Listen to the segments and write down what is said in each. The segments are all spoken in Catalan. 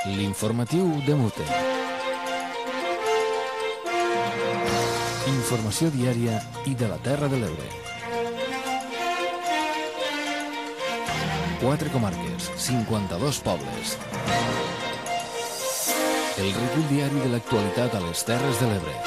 L'informatiu de Mute. Informació diària i de la Terra de l'Ebre. 4 comarques, 52 pobles. El recull diari de l'actualitat a les Terres de l'Ebre.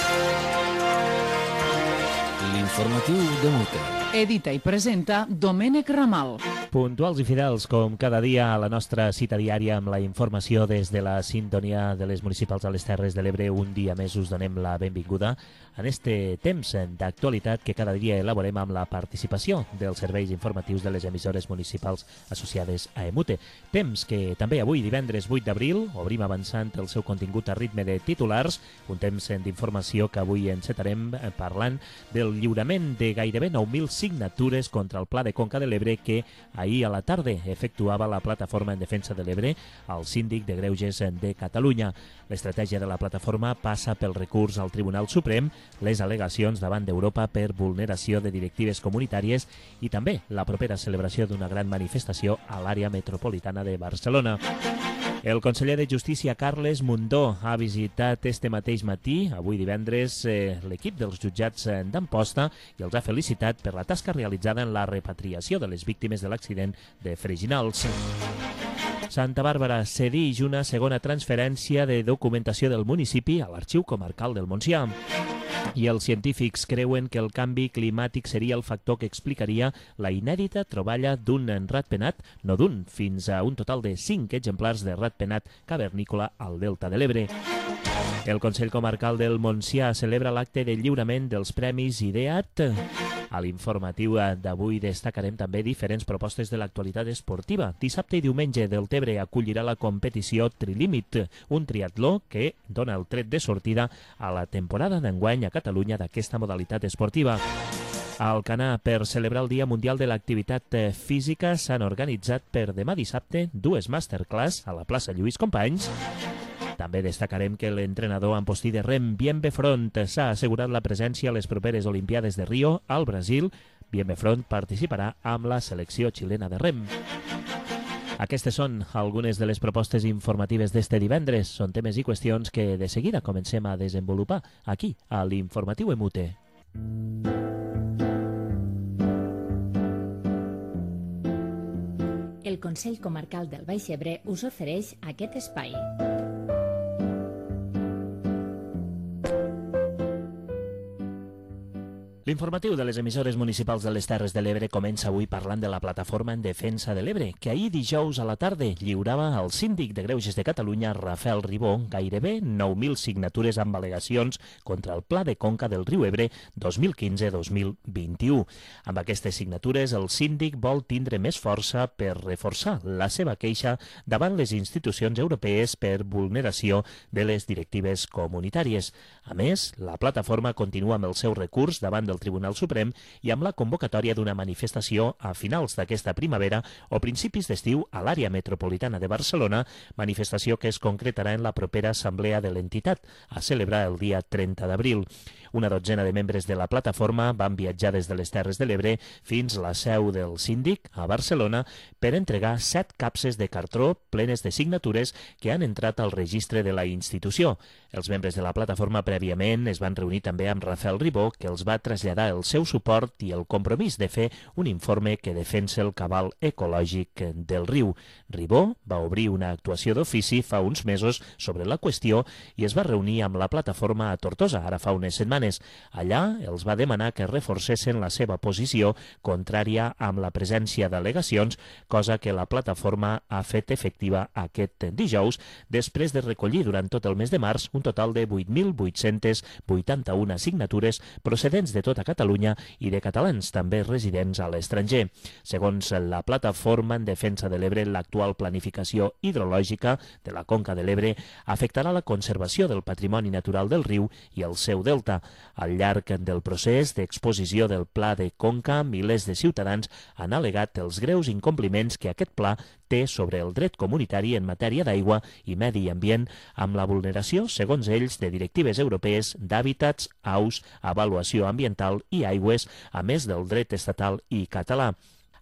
L'informatiu de Mute. Edita i presenta Domènec Ramal. Puntuals i fidels, com cada dia, a la nostra cita diària amb la informació des de la sintonia de les municipals a les Terres de l'Ebre. Un dia més us donem la benvinguda en este temps d'actualitat que cada dia elaborem amb la participació dels serveis informatius de les emissores municipals associades a EMUTE. Temps que també avui, divendres 8 d'abril, obrim avançant el seu contingut a ritme de titulars, un temps d'informació que avui encetarem parlant del lliurament de gairebé 9.000 signatures contra el Pla de Conca de l'Ebre que ahir a la tarda efectuava la Plataforma en Defensa de l'Ebre al Síndic de Greuges de Catalunya. L'estratègia de la plataforma passa pel recurs al Tribunal Suprem, les al·legacions davant d'Europa per vulneració de directives comunitàries i també la propera celebració d'una gran manifestació a l'àrea metropolitana de Barcelona. El conseller de Justícia, Carles Mundó, ha visitat este mateix matí, avui divendres, l'equip dels jutjats d'Amposta i els ha felicitat per la tasca realitzada en la repatriació de les víctimes de l'accident de Freginals. Santa Bàrbara cedeix una segona transferència de documentació del municipi a l'Arxiu Comarcal del Montsià. I els científics creuen que el canvi climàtic seria el factor que explicaria la inèdita troballa d'un ratpenat, no d'un, fins a un total de 5 exemplars de ratpenat cavernícola al Delta de l'Ebre. El Consell Comarcal del Montsià celebra l'acte de lliurament dels Premis IDEAT. A l'informatiu d'avui destacarem també diferents propostes de l'actualitat esportiva. Dissabte i diumenge Deltebre acollirà la competició Trilímit, un triatló que dona el tret de sortida a la temporada d'enguany a Catalunya d'aquesta modalitat esportiva. A Alcanar, per celebrar el Dia Mundial de l'Activitat Física, s'han organitzat per demà dissabte 2 masterclass a la plaça Lluís Companys. També destacarem que l'entrenador ampostí de rem, Bienve Front, s'ha assegurat la presència a les properes Olimpiades de Rio, al Brasil. Bienve Front participarà amb la selecció xilena de rem. Aquestes són algunes de les propostes informatives d'este divendres. Són temes i qüestions que de seguida comencem a desenvolupar aquí, a l'Informatiu EMUTE. El Consell Comarcal del Baix Ebre us ofereix aquest espai. L'informatiu de les emissores municipals de les Terres de l'Ebre comença avui parlant de la Plataforma en Defensa de l'Ebre, que ahir dijous a la tarda lliurava al Síndic de Greuges de Catalunya, Rafael Ribó, gairebé 9.000 signatures amb al·legacions contra el Pla de Conca del Riu Ebre 2015-2021. Amb aquestes signatures, el síndic vol tindre més força per reforçar la seva queixa davant les institucions europees per vulneració de les directives comunitàries. A més, la plataforma continua amb el seu recurs davant del Tribunal Suprem i amb la convocatòria d'una manifestació a finals d'aquesta primavera o principis d'estiu a l'àrea metropolitana de Barcelona, manifestació que es concretarà en la propera assemblea de l'entitat, a celebrar el dia 30 d'abril. Una dotzena de membres de la plataforma van viatjar des de les Terres de l'Ebre fins a la seu del síndic, a Barcelona, per entregar 7 capses de cartró plenes de signatures que han entrat al registre de la institució. Els membres de la plataforma prèviament es van reunir també amb Rafael Ribó, que els va traslladar el seu suport i el compromís de fer un informe que defensa el cabal ecològic del riu. Ribó va obrir una actuació d'ofici fa uns mesos sobre la qüestió i es va reunir amb la plataforma a Tortosa, ara fa unes setmanes. Allà els va demanar que reforcessin la seva posició contrària amb la presència d'al·legacions, cosa que la plataforma ha fet efectiva aquest dijous, després de recollir durant tot el mes de març un total de 8.881 signatures procedents de tota Catalunya i de catalans també residents a l'estranger. Segons la Plataforma en Defensa de l'Ebre, l'actual planificació hidrològica de la Conca de l'Ebre afectarà la conservació del patrimoni natural del riu i el seu delta. Al llarg del procés d'exposició del Pla de Conca, milers de ciutadans han al·legat els greus incompliments que aquest pla té sobre el dret comunitari en matèria d'aigua i medi ambient, amb la vulneració, segons ells, de directives europees d'hàbitats, aus, avaluació ambiental i aigües, a més del dret estatal i català.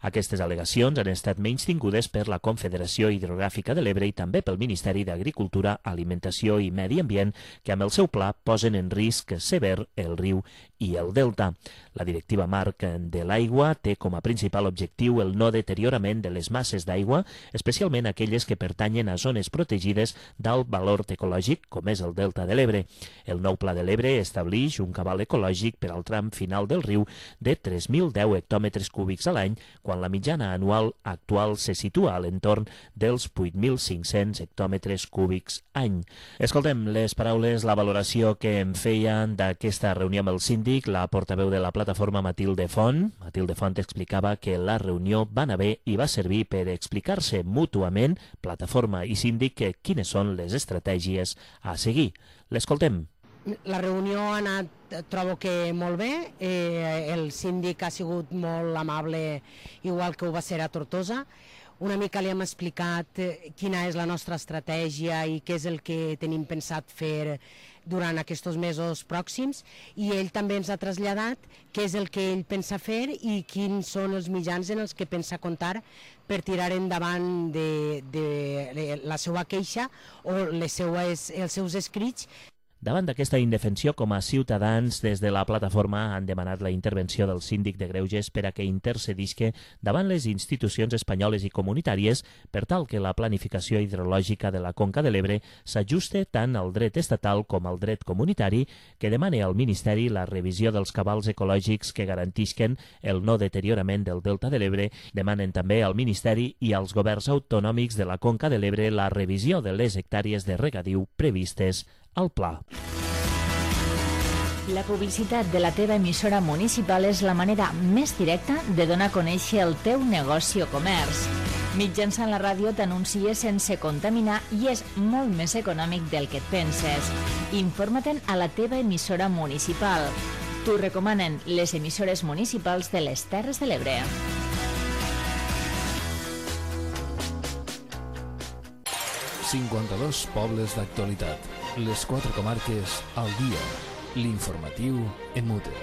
Aquestes al·legacions han estat menystingudes per la Confederació Hidrogràfica de l'Ebre i també pel Ministeri d'Agricultura, Alimentació i Medi Ambient, que amb el seu pla posen en risc sever el riu i el delta. La Directiva Marc de l'Aigua té com a principal objectiu el no deteriorament de les masses d'aigua, especialment aquelles que pertanyen a zones protegides d'alt valor ecològic, com és el delta de l'Ebre. El nou Pla de l'Ebre estableix un cabal ecològic per al tram final del riu de 3.010 hectòmetres cúbics a l'any, quan la mitjana anual actual se situa a l'entorn dels 8.500 hectòmetres cúbics any. Escoltem les paraules, la valoració que en feien d'aquesta reunió amb el síndic, la portaveu de la plataforma Matilde Font. Matilde Font explicava que la reunió va anar bé i va servir per explicar-se mútuament, plataforma i síndic, quines són les estratègies a seguir. L'escoltem. La reunió ha anat, trobo que molt bé, el síndic ha sigut molt amable, igual que ho va ser a Tortosa. Una mica li hem explicat quina és la nostra estratègia i què és el que tenim pensat fer durant aquests mesos pròxims, i ell també ens ha traslladat què és el que ell pensa fer i quins són els mitjans en els que pensa comptar per tirar endavant de la seva queixa o els seus escrits. Davant d'aquesta indefensió, com a ciutadans, des de la plataforma han demanat la intervenció del síndic de Greuges per a que intercedisca davant les institucions espanyoles i comunitàries per tal que la planificació hidrològica de la Conca de l'Ebre s'ajuste tant al dret estatal com al dret comunitari, que demane al Ministeri la revisió dels cabals ecològics que garantisquen el no deteriorament del delta de l'Ebre. Demanen també al Ministeri i als governs autonòmics de la Conca de l'Ebre la revisió de les hectàrees de regadiu previstes al pla. La publicitat de la teva emissora municipal és la manera més directa de donar a conèixer el teu negoci o comerç. Mitjançant la ràdio t'anuncies sense contaminar i és molt més econòmic del que et penses. Informa-te'n a la teva emissora municipal. T'ho recomanen les emissores municipals de les Terres de l'Ebre. ...52 pobles d'actualitat. Les 4 comarques al dia. L'informatiu en mute.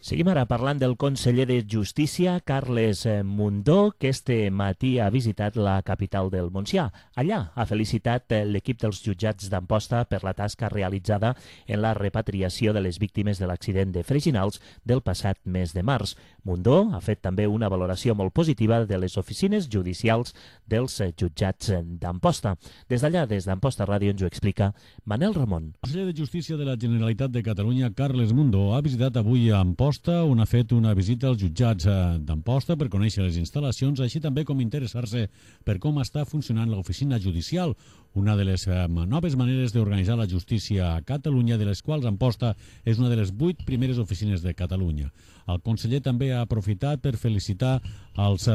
Seguim ara parlant del conseller de Justícia, Carles Mundó, que este matí ha visitat la capital del Montsià. Allà ha felicitat l'equip dels jutjats d'Amposta per la tasca realitzada en la repatriació de les víctimes de l'accident de Freginals del passat mes de març. Mundó ha fet també una valoració molt positiva de les oficines judicials dels jutjats d'Amposta. Des d'allà, des d'Amposta Ràdio, ens ho explica Manel Ramon. El conseller de Justícia de la Generalitat de Catalunya, Carles Mundó, ha visitat avui a Amposta, on ha fet una visita als jutjats d'Amposta per conèixer les instal·lacions, així també com interessar-se per com està funcionant l'oficina judicial, una de les noves maneres d'organitzar la justícia a Catalunya, de les quals Amposta és una de les 8 primeres oficines de Catalunya. El conseller també ha aprofitat per felicitar els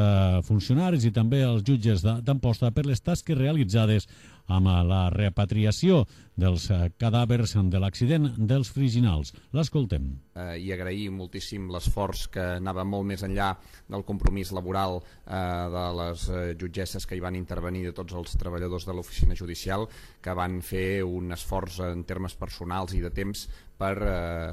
funcionaris i també els jutges d'Amposta per les tasques realitzades amb la repatriació dels cadàvers de l'accident dels Freginals. L'escoltem. I agrair moltíssim l'esforç que anava molt més enllà del compromís laboral de les jutgesses que hi van intervenir, de tots els treballadors de l'oficina judicial, que van fer un esforç en termes personals i de temps per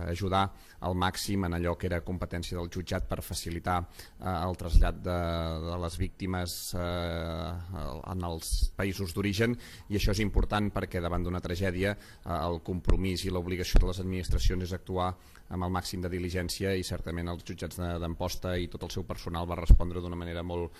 ajudar al màxim en allò que era competència del jutjat per facilitar el trasllat de les víctimes en els països d'origen, i això és important perquè davant d'una tragèdia el compromís i l'obligació de les administracions és actuar amb el màxim de diligència, i certament els jutjats d'Amposta i tot el seu personal va respondre d'una manera molt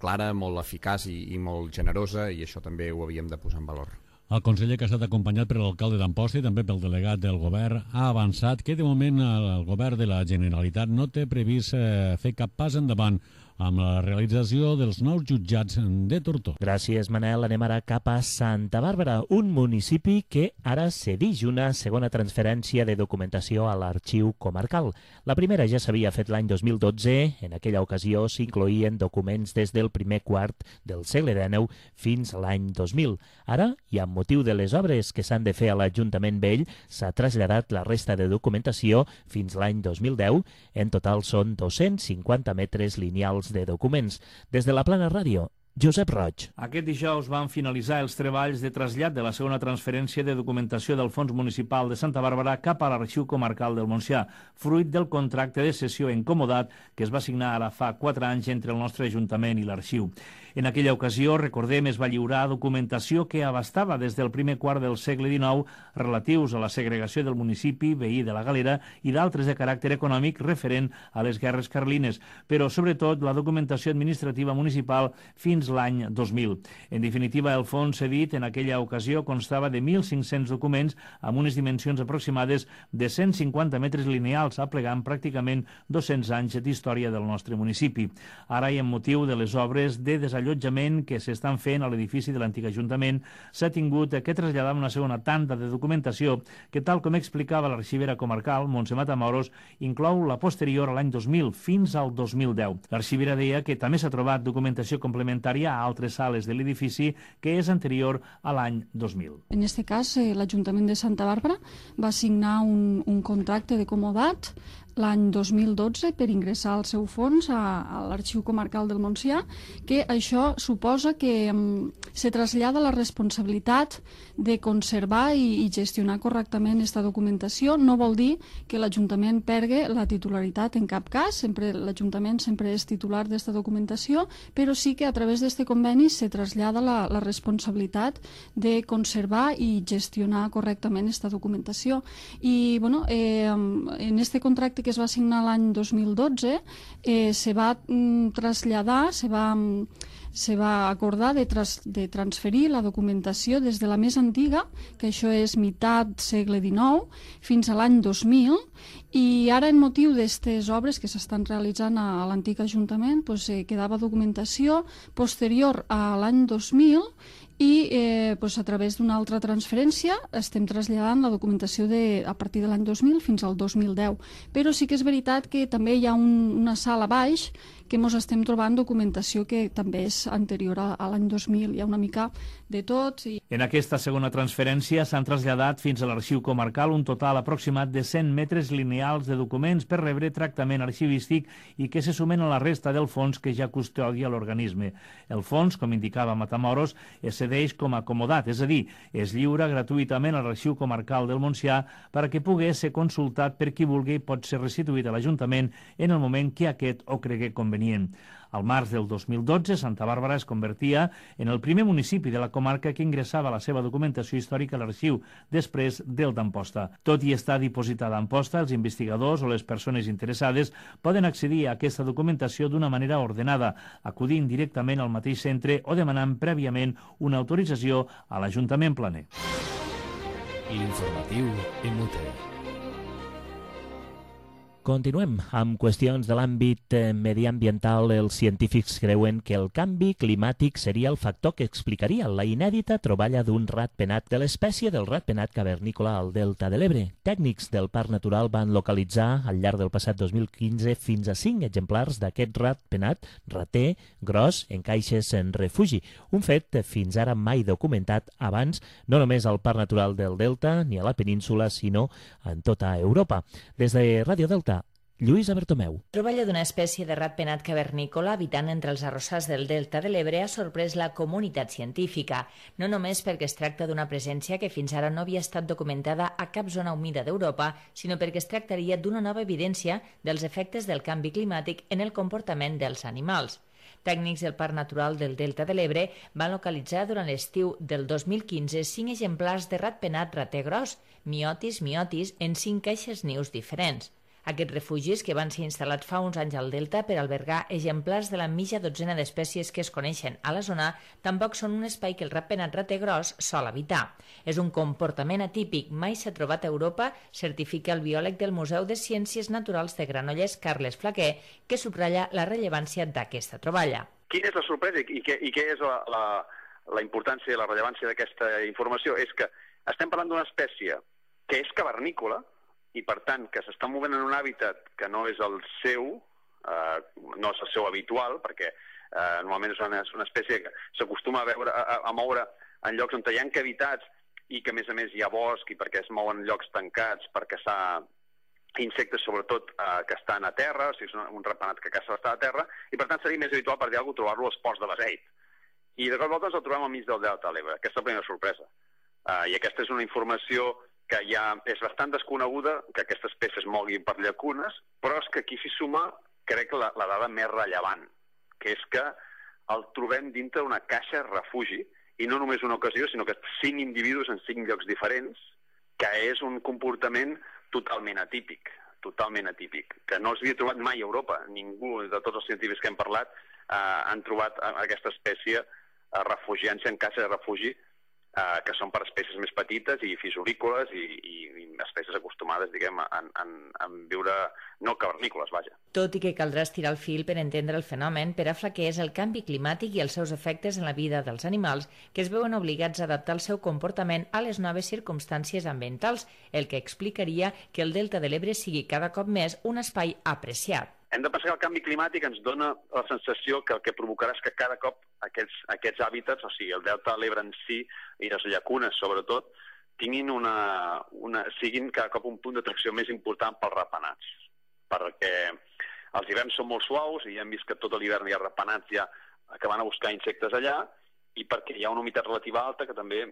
clara, molt eficaç i molt generosa, i això també ho havíem de posar en valor. El conseller, que ha estat acompanyat per l'alcalde d'Amposta i també pel delegat del govern, ha avançat que de moment el govern de la Generalitat no té previst fer cap pas endavant amb la realització dels nous jutjats de Tortosa. Gràcies, Manel. Anem ara cap a Santa Bàrbara, un municipi que ara cedeix una segona transferència de documentació a l'arxiu comarcal. La primera ja s'havia fet l'any 2012. En aquella ocasió s'incloïen documents des del primer quart del segle XIX fins a l'any 2000. Ara, i amb motiu de les obres que s'han de fer a l'Ajuntament Vell, s'ha traslladat la resta de documentació fins l'any 2010. En total són 250 metres lineals de documents. Des de la Plana Ràdio, Josep Roig. Aquest dijous van finalitzar els treballs de trasllat de la segona transferència de documentació del Fons Municipal de Santa Bàrbara cap a l'Arxiu Comarcal del Montsià, fruit del contracte de cessió incomodat que es va signar ara fa 4 anys entre el nostre Ajuntament i l'Arxiu. En aquella ocasió, recordem, es va lliurar documentació que abastava des del primer quart del segle XIX relatius a la segregació del municipi veí de la Galera i d'altres de caràcter econòmic referent a les guerres carlines, però sobretot la documentació administrativa municipal fins l'any 2000. En definitiva, el fons cedit en aquella ocasió constava de 1.500 documents amb unes dimensions aproximades de 150 metres lineals, aplegant pràcticament 200 anys d'història del nostre municipi. Ara, i amb motiu de les obres de desallotjament que s'estan fent a l'edifici de l'antic Ajuntament, s'ha tingut que traslladar una segona tanda de documentació que, tal com explicava l'arxivera comarcal, Montse Matamoros, inclou la posterior a l'any 2000 fins al 2010. L'arxivera deia que també s'ha trobat documentació complementària a altres sales de l'edifici que és anterior a l'any 2000. En aquest cas, l'Ajuntament de Santa Bàrbara va signar un contracte de comodat l'any 2012 per ingressar el seu fons a l'Arxiu Comarcal del Montsià, que això suposa que se trasllada la responsabilitat de conservar i gestionar correctament aquesta documentació. No vol dir que l'Ajuntament pergui la titularitat en cap cas, l'Ajuntament sempre és titular d'aquesta documentació, però sí que a través d'aquest conveni se trasllada la responsabilitat de conservar i gestionar correctament aquesta documentació. I en aquest contracte que es va signar l'any 2012 se va traslladar, se va acordar de transferir la documentació des de la més antiga, que això és meitat segle XIX, fins a l'any 2000, i ara en motiu d'aquestes obres que s'estan realitzant a l'antic Ajuntament quedava documentació posterior a l'any 2000 i a través d'una altra transferència estem traslladant la documentació a partir de l'any 2000 fins al 2010. Però sí que és veritat que també hi ha una sala baix que ens estem trobant documentació que també és anterior a l'any 2000. Hi ha una mica de tot. En aquesta segona transferència s'han traslladat fins a l'Arxiu Comarcal un total aproximat de 100 metres lineals de documents per rebre tractament arxivístic i que se sumen a la resta del fons que ja custodia l'organisme. El fons, com indicava Matamoros, es cedeix com a acomodat, és a dir, es lliura gratuïtament a l'Arxiu Comarcal del Montsià perquè pugui ser consultat per qui vulgui i pot ser restituït a l'Ajuntament en el moment que aquest ho cregui convenient. Al març del 2012, Santa Bàrbara es convertia en el primer municipi de la comarca que ingressava la seva documentació històrica a l'arxiu, després del d'Amposta. Tot i estar dipositada a Amposta, els investigadors o les persones interessades poden accedir a aquesta documentació d'una manera ordenada, acudint directament al mateix centre o demanant prèviament una autorització a l'Ajuntament planer. L'informatiu en Muter. Continuem amb qüestions de l'àmbit mediambiental. Els científics creuen que el canvi climàtic seria el factor que explicaria la inèdita troballa d'un ratpenat de l'espècie del ratpenat cavernícola al Delta de l'Ebre. Tècnics del Parc Natural van localitzar al llarg del passat 2015 fins a 5 exemplars d'aquest ratpenat rater gros en caixes en refugi. Un fet fins ara mai documentat abans, no només al Parc Natural del Delta ni a la península, sinó en tota Europa. Des de Ràdio Delta, Lluïsa Bertomeu. Troballa d'una espècie de ratpenat cavernícola habitant entre els arrossars del Delta de l'Ebre ha sorprès la comunitat científica, no només perquè es tracta d'una presència que fins ara no havia estat documentada a cap zona humida d'Europa, sinó perquè es tractaria d'una nova evidència dels efectes del canvi climàtic en el comportament dels animals. Tècnics del Parc Natural del Delta de l'Ebre van localitzar durant l'estiu del 2015 5 exemplars de ratpenat rater gros, miotis, en 5 caixes nius diferents. Aquests refugis, que van ser instal·lats fa uns anys al Delta per albergar exemplars de la mitja dotzena d'espècies que es coneixen a la zona, tampoc són un espai que el ratpenat rater gros sol habitar. És un comportament atípic, mai s'ha trobat a Europa, certifica el biòleg del Museu de Ciències Naturals de Granollers, Carles Flaquer, que subratlla la rellevància d'aquesta troballa. Quina és la sorpresa i què és la importància i la rellevància d'aquesta informació? És que estem parlant d'una espècie que és cavernícola, i per tant que s'està movent en un hàbitat que no és el seu, no és el seu habitual, perquè normalment és una espècie que s'acostuma a moure en llocs on hi ha cavitats i que a més hi ha bosc i perquè es mouen en llocs tancats per caçar insectes sobretot que estan a terra, o sigui, és un ratpenat que caça estar a terra, i per tant seria més habitual, per dir alguna cosa, trobar-lo als ports de Beseit. i de cop i volta ens el trobem al mig del Delta de l'Ebre. Aquesta és la primera sorpresa. I aquesta és una informació que ja és bastant desconeguda, que aquesta espècie es mogui per llacunes, però és que aquí s'hi suma, crec, la dada més rellevant, que és que el trobem dintre d'una caixa refugi, i no només una ocasió, sinó que 5 individus en 5 llocs diferents, que és un comportament totalment atípic, que no els havia trobat mai a Europa. Ningú de tots els científics que hem parlat han trobat aquesta espècie refugiant-se en caixes de refugi, que són per espècies més petites i fisorícoles i espècies acostumades, diguem, a viure no cavernícoles, vaja. Tot i que caldrà estirar el fil per entendre el fenomen, per a Flaquer és el canvi climàtic i els seus efectes en la vida dels animals que es veuen obligats a adaptar el seu comportament a les noves circumstàncies ambientals, el que explicaria que el Delta de l'Ebre sigui cada cop més un espai apreciat. Hem de pensar que el canvi climàtic ens dona la sensació que el que provocarà és que cada cop aquests hàbitats, o sigui, el Delta de l'Ebre en si i les llacunes, sobretot, siguin cada cop un punt d'atracció més important pels ratpenats. Perquè els hiverns són molt suaus i ja hem vist que tot l'hivern hi ha ratpenats ja que van a buscar insectes allà, i perquè hi ha una humitat relativa alta, que també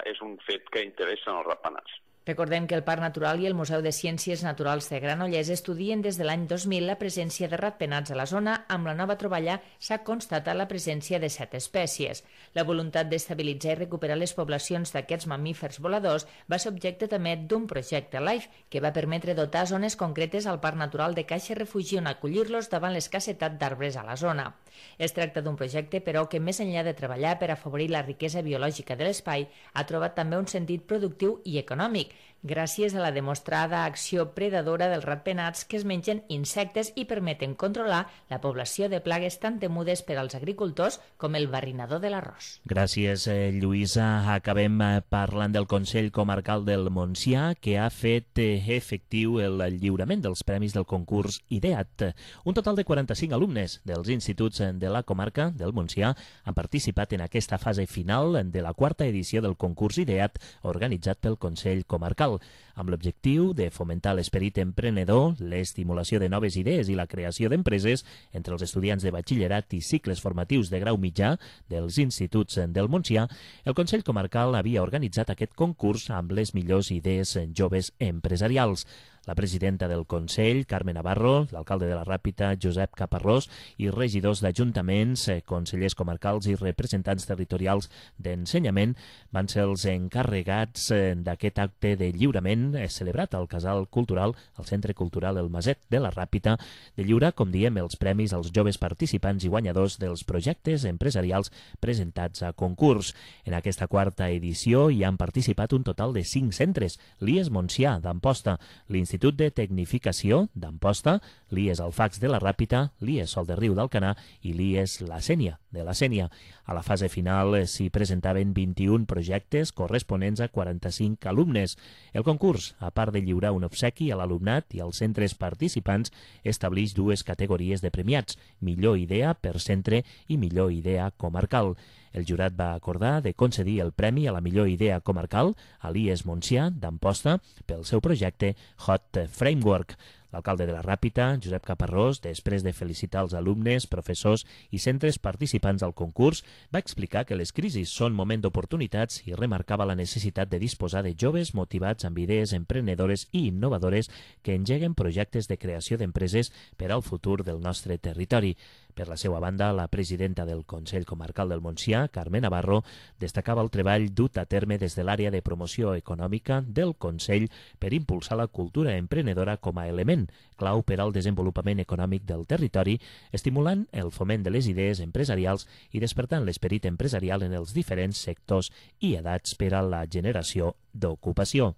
és un fet que interessa els ratpenats. Recordem que el Parc Natural i el Museu de Ciències Naturals de Granollers estudien des de l'any 2000 la presència de ratpenats a la zona. Amb la nova troballa s'ha constatat la presència de 7 espècies. La voluntat d'estabilitzar i recuperar les poblacions d'aquests mamífers voladors va ser objecte també d'un projecte LIFE que va permetre dotar zones concretes al Parc Natural de caixes refugi on acollir-los davant l'escassetat d'arbres a la zona. Es tracta d'un projecte, però, que més enllà de treballar per afavorir la riquesa biològica de l'espai, ha trobat també un sentit productiu i econòmic, gràcies a la demostrada acció predadora dels ratpenats que es mengen insectes i permeten controlar la població de plagues tan temudes per als agricultors com el barrinador de l'arròs. Gràcies, Lluïsa. Acabem parlant del Consell Comarcal del Montsià, que ha fet efectiu el lliurament dels premis del concurs IDEAT. Un total de 45 alumnes dels instituts de la comarca del Montsià han participat en aquesta fase final de la 4ª edició del concurs IDEAT organitzat pel Consell Comarcal, amb l'objectiu de fomentar l'esperit emprenedor, l'estimulació de noves idees i la creació d'empreses entre els estudiants de batxillerat i cicles formatius de grau mitjà dels instituts del Montsià. El Consell Comarcal havia organitzat aquest concurs amb les millors idees joves empresarials. La presidenta del Consell, Carme Navarro, l'alcalde de la Ràpita, Josep Caparrós, i regidors d'ajuntaments, consellers comarcals i representants territorials d'ensenyament van ser els encarregats d'aquest acte de lliurament celebrat al Casal Cultural, al Centre Cultural El Maset de la Ràpita, de lliurar, com diem, els premis als joves participants i guanyadors dels projectes empresarials presentats a concurs. En aquesta 4ª edició hi han participat un total de 5 centres: l'IES Montsià d'Amposta, l'Institut de Tecnificació d'Amposta, l'IES Alfacs de la Ràpita, l'IES Sol de Riu d'Alcanar i l'IES La Sénia de la Sénia. A la fase final s'hi presentaven 21 projectes corresponents a 45 alumnes. El concurs, a part de lliurar un obsequi a l'alumnat i als centres participants, estableix 2 categories de premiats: millor idea per centre i millor idea comarcal. El jurat va acordar de concedir el premi a la millor idea comarcal a l'IES Montsià d'Amposta pel seu projecte Hot Framework. L'alcalde de la Ràpita, Josep Caparrós, després de felicitar els alumnes, professors i centres participants al concurs, va explicar que les crisis són moment d'oportunitats i remarcava la necessitat de disposar de joves motivats amb idees emprenedores i innovadores que engeguen projectes de creació d'empreses per al futur del nostre territori. Per la seva banda, la presidenta del Consell Comarcal del Montsià, Carme Navarro, destacava el treball dut a terme des de l'àrea de promoció econòmica del Consell per impulsar la cultura emprenedora com a element clau per al desenvolupament econòmic del territori, estimulant el foment de les idees empresarials i despertant l'esperit empresarial en els diferents sectors i edats per a la generació d'ocupació.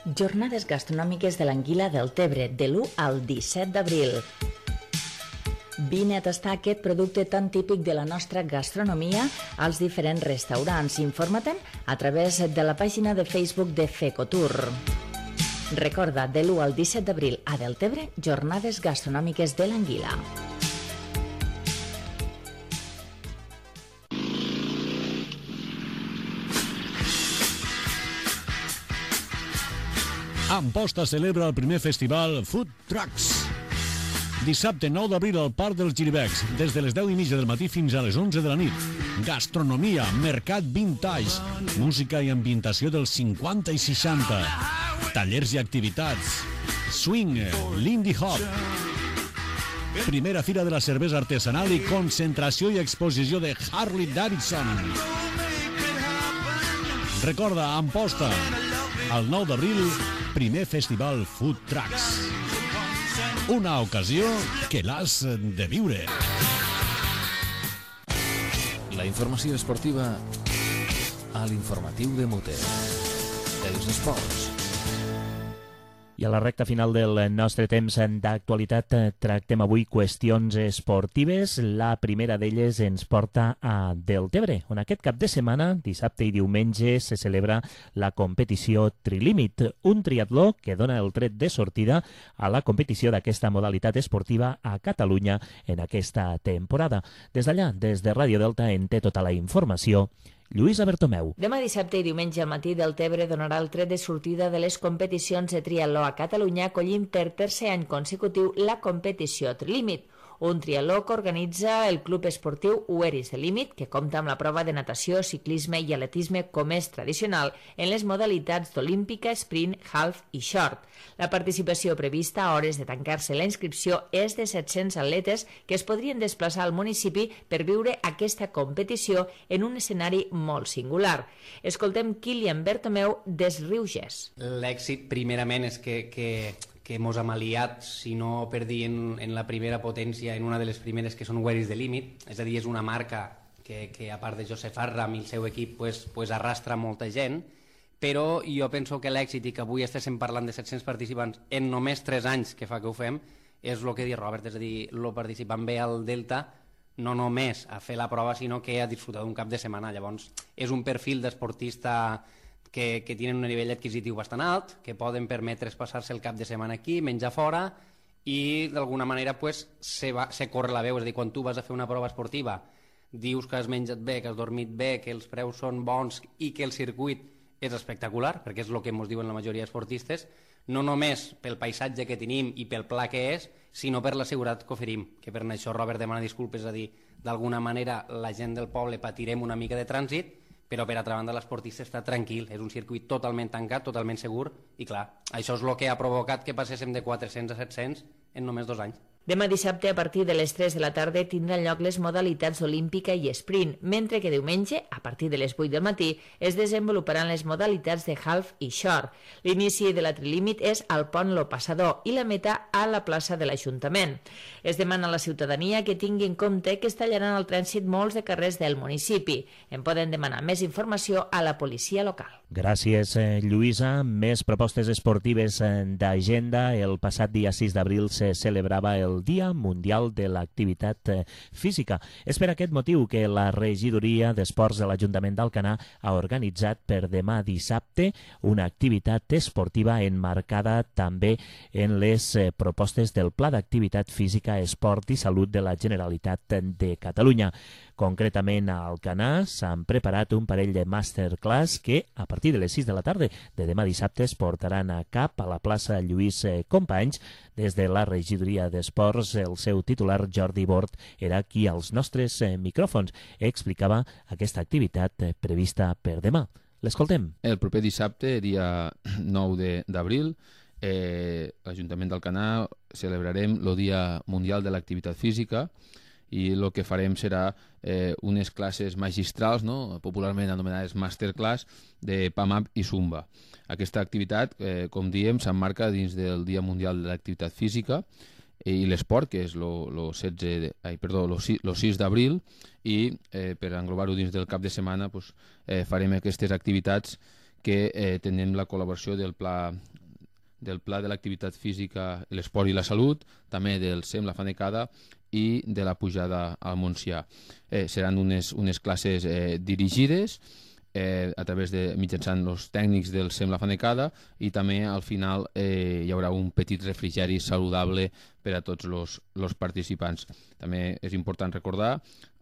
Jornades gastronòmiques de l'Anguila del Tebre, de l'1 al 17 d'abril. Vine a tastar aquest producte tan típic de la nostra gastronomia als diferents restaurants. Informa-te'n a través de la pàgina de Facebook de Fecotour. Recorda, de l'1 al 17 d'abril a Deltebre, jornades gastronòmiques de l'Anguila. Amposta celebra el primer festival Food Trucks. Dissabte 9 d'abril al Parc dels Giribecs, des de les 10:30 del matí fins a les 11 de la nit. Gastronomia, mercat vintage, música i ambientació dels 50 i 60, tallers i activitats, swing, lindy hop, primera fira de la cervesa artesanal i concentració i exposició de Harley Davidson. Recorda, Amposta, el 9 d'abril, primer festival Food Trucks. Una ocasió que l'has de viure. La informació esportiva a l'informatiu de Muter. Els esports. I a la recta final del nostre temps d'actualitat tractem avui qüestions esportives. La primera d'elles ens porta a Deltebre, on aquest cap de setmana, dissabte i diumenge, se celebra la competició Trilímit, un triatló que dona el tret de sortida a la competició d'aquesta modalitat esportiva a Catalunya en aquesta temporada. Des d'allà, des de Ràdio Delta, en té tota la informació Lluïsa Bertomeu. Demà dissabte i diumenge al matí Deltebre donarà el tret de sortida de les competicions de triatló a Catalunya, acollint per tercer any consecutiu la competició Trilímit, un triatló que organitza el Club Esportiu Ueris de Límit, que compta amb la prova de natació, ciclisme i atletisme com és tradicional en les modalitats d'olímpica, sprint, half i short. La participació prevista a hores de tancar-se la inscripció és de 700 atletes que es podrien desplaçar al municipi per viure aquesta competició en un escenari molt singular. Escoltem Kilian Bertomeu des Riuges. L'èxit, primerament, és que mos hem aliat, si no per dir en la primera potència, en una de les primeres que són Ueris de Límit, és a dir, és una marca que a part de Josep Arram i el seu equip arrastra molta gent, però jo penso que l'èxit i que avui estéssim parlant de 700 participants en només 3 anys que fa que ho fem, és el que diu Robert, és a dir, el participant ve al Delta no només a fer la prova, sinó que a disfrutar d'un cap de setmana. Llavors, és un perfil d'esportista que tenen un nivell adquisitiu bastant alt, que poden permetre's passar-se el cap de setmana aquí, menjar fora, i d'alguna manera se corre la veu. És a dir, quan tu vas a fer una prova esportiva, dius que has menjat bé, que has dormit bé, que els preus són bons i que el circuit és espectacular, perquè és el que ens diuen la majoria d'esportistes, no només pel paisatge que tenim i pel pla que és, sinó per la seguretat que oferim, que per això Robert demana disculpes, és a dir, d'alguna manera la gent del poble patirem una mica de trànsit, però per altra banda l'esportista està tranquil, és un circuit totalment tancat, totalment segur, i clar, això és el que ha provocat que passéssim de 400 a 700 en només 2 anys. Demà dissabte, a partir de les 3 de la tarda, tindran lloc les modalitats olímpica i sprint, mentre que diumenge, a partir de les 8 del matí, es desenvoluparan les modalitats de half i short. L'inici de la Trilímit és al pont Lo Passador i la meta a la plaça de l'Ajuntament. Es demana a la ciutadania que tingui en compte que es tallaran al trànsit molts de carrers del municipi. En poden demanar més informació a la policia local. Gràcies, Lluïsa. Més propostes esportives d'agenda. El passat dia 6 d'abril se celebrava el Dia Mundial de l'Activitat Física. És per aquest motiu que la Regidoria d'Esports de l'Ajuntament d'Alcanar ha organitzat per demà dissabte una activitat esportiva enmarcada també en les propostes del Pla d'Activitat Física, Esport i Salut de la Generalitat de Catalunya. Concretament a Alcanar s'han preparat un parell de masterclass que a partir de les 6 de la tarda de demà dissabte es portaran a cap a la plaça Lluís Companys. Des de la Regidoria d'Esports, el seu titular Jordi Bort era qui als nostres micròfons explicava aquesta activitat prevista per demà. L'escoltem. El proper dissabte, dia 9 d'abril, l'Ajuntament d'Alcanar celebrarem el Dia Mundial de l'Activitat Física i el que farem serà unes classes magistrals, no? Popularment anomenades masterclass, de PAMAP i Zumba. Aquesta activitat, com diem, s'emmarca dins del Dia Mundial de l'Activitat Física i l'Esport, que és el 6 d'abril, i per englobar-ho dins del cap de setmana farem aquestes activitats que tenen la col·laboració del Pla de l'Activitat Física, l'Esport i la Salut, també del SEM, la Fanecada, i de la pujada al Montsià. Seran unes classes dirigides a través de mitjançant els tècnics del SEM La Fanecada, i també al final hi haurà un petit refrigeri saludable per a tots els participants. També és important recordar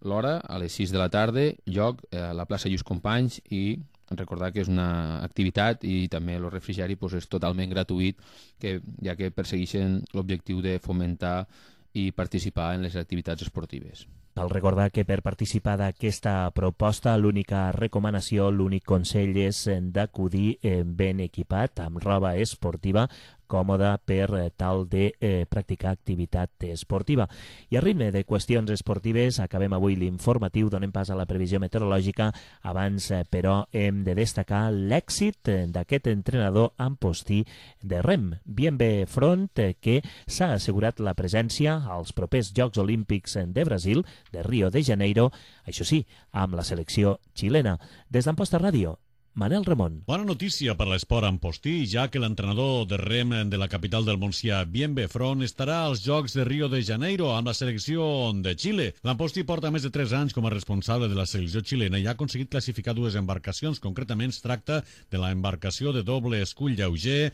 l'hora, a les 6 de la tarda, lloc a la plaça Lluís Companys, i recordar que és una activitat i també el refrigeri és totalment gratuït, ja que persegueixen l'objectiu de fomentar i participar en les activitats esportives. Cal recordar que per participar d'aquesta proposta l'única recomanació, l'únic consell és d'acudir ben equipat, amb roba esportiva còmoda per tal de practicar activitat esportiva. I a ritme de qüestions esportives acabem avui l'informatiu, donem pas a la previsió meteorològica. Abans, però, hem de destacar l'èxit d'aquest entrenador ampostí de rem, Bienve Front, que s'ha assegurat la presència als propers Jocs Olímpics de Brasil, de Rio de Janeiro, això sí, amb la selecció xilena. Des d'Amposta Ràdio, Manel Ramon. Bona notícia per l'esport ampostí, ja que l'entrenador de rem de la capital del Montsià, Bienve Front, estarà als Jocs de Rio de Janeiro amb la selecció de Xile. L'ampostí porta més de 3 anys com a responsable de la selecció xilena i ha aconseguit classificar 2 embarcacions. Concretament es tracta de la embarcació de doble escull lleuger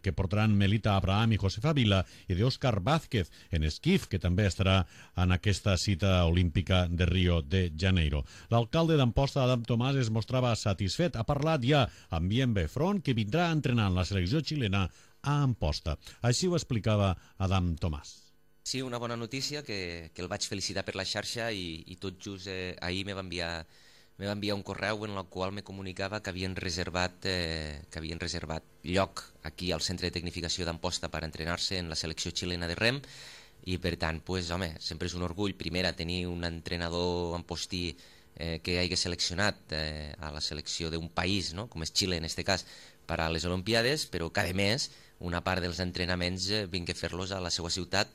que portaran Melita Abraham i Josefa Vila i d'Òscar Vázquez en esquif, que també estarà en aquesta cita olímpica de Rio de Janeiro. L'alcalde d'Amposta, Adam Tomàs, es mostrava satisfet. Ha parlat ja amb Bienve Front, que vindrà entrenant la selecció xilena a Amposta. Així ho explicava Adam Tomàs. Sí, una bona notícia, que el vaig felicitar per la xarxa i tot just ahir me va enviar un correu en el qual me comunicava que havien reservat lloc aquí al Centre de Tecnificació d'Amposta per entrenar-se en la selecció xilena de rem i per tant, home, sempre és un orgull primer a tenir un entrenador ampostí que hagi seleccionat a la selecció d'un país, no? Com és Xile en aquest cas, per a les Olimpiades, però que a més una part dels entrenaments vingui a fer-los a la seva ciutat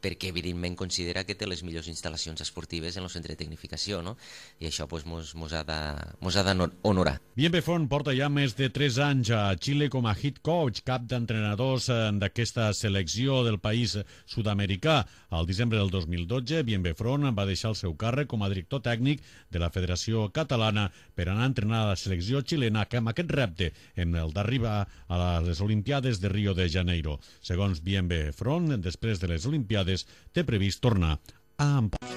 perquè evidentment considera que té les millors instal·lacions esportives en el centre de tecnificació, no? I això mos ha d'honorar. Bienve Front porta ja més de 3 anys a Xile com a head coach, cap d'entrenadors d'aquesta selecció del país sud-americà. Al desembre del 2012, Bienve Front va deixar el seu càrrec com a director tècnic de la Federació Catalana per anar a entrenar a la selecció xilena, que amb aquest repte hem d'arribar a les Olimpiades de Rio de Janeiro. Segons Bienve Front, després de les Olimpiades té previst tornar a Amposta.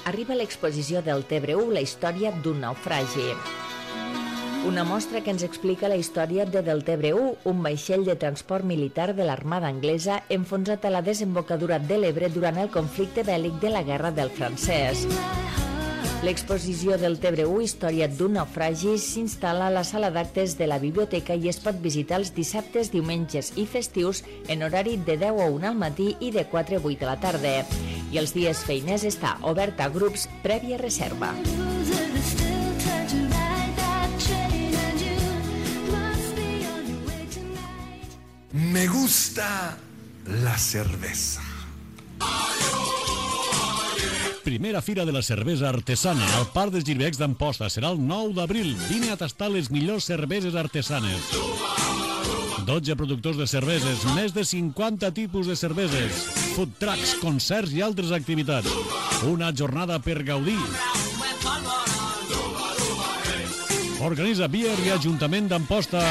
Arriba l'exposició del Tebre-U, la història d'un naufragi. Una mostra que ens explica la història de Del Tebre-U, un vaixell de transport militar de l'Armada anglesa enfonsat a la desembocadura de l'Ebre durant el conflicte bèl·lic de la Guerra del Francès. L'exposició del Tebre-U, història d'un naufragi, s'instal·la a la sala d'actes de la biblioteca i es pot visitar els dissabtes, diumenges i festius en horari de 10 a 1 al matí i de 4 a 8 de la tarda. I els dies feiners està obert a grups prèvia reserva. Me gusta la cerveza. Primera Fira de la Cervesa Artesana al Parc dels Girbecs d'Amposta. Serà el 9 d'abril. Vine a tastar les millors cerveses artesanes. 12 productors de cerveses, més de 50 tipus de cerveses, food trucks, concerts i altres activitats. Una jornada per gaudir. Organitza Bier i Ajuntament d'Amposta,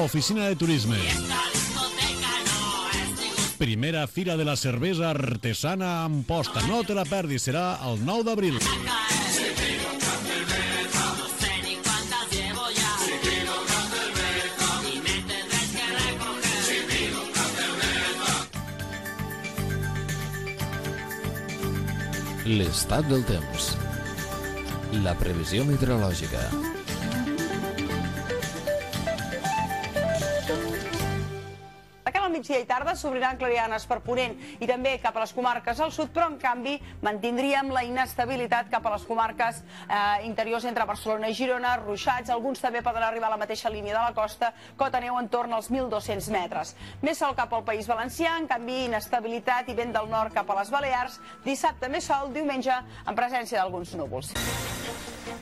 Oficina de Turisme. Primera Fira de la Cervesa Artesana a Amposta. No te la perdis, serà el 9 d'abril. L'estat del temps. La previsió meteorològica. Migdia i tarda s'obriran clarianes per Ponent i també cap a les comarques al sud, però en canvi mantindríem la inestabilitat cap a les comarques interiors entre Barcelona i Girona, ruixats, alguns també poden arribar a la mateixa línia de la costa, cota neu entorn als 1.200 metres. Més sol cap al País Valencià, en canvi inestabilitat i vent del nord cap a les Balears, dissabte més sol, diumenge en presència d'alguns núvols.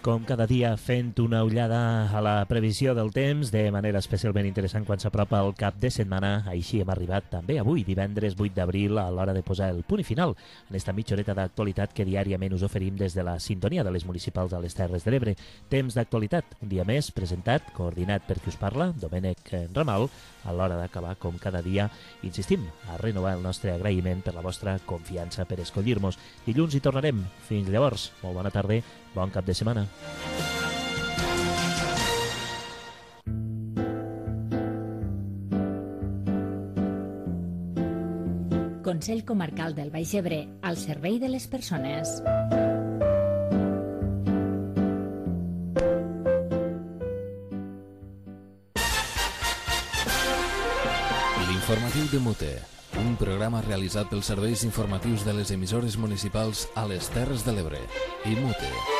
Com cada dia fent una ullada a la previsió del temps de manera especialment interessant quan s'apropa el cap de setmana. Així hem arribat també avui, divendres 8 d'abril, a l'hora de posar el punt i final en esta mitja horeta d'actualitat que diàriament us oferim des de la sintonia de les municipals a les Terres de l'Ebre. Temps d'actualitat, un dia més, presentat, coordinat per qui us parla, Domènec Ramal, a l'hora d'acabar, com cada dia, insistim, a renovar el nostre agraïment per la vostra confiança per escollir-nos. Dilluns hi tornarem. Fins llavors, molt bona tarda, bon cap de setmana. Consell Consell Comarcal del Baix Ebre, al servei de les persones. L'informatiu de Mute, un programa realitzat pels serveis informatius de les emissores municipals a les Terres de l'Ebre i Mute.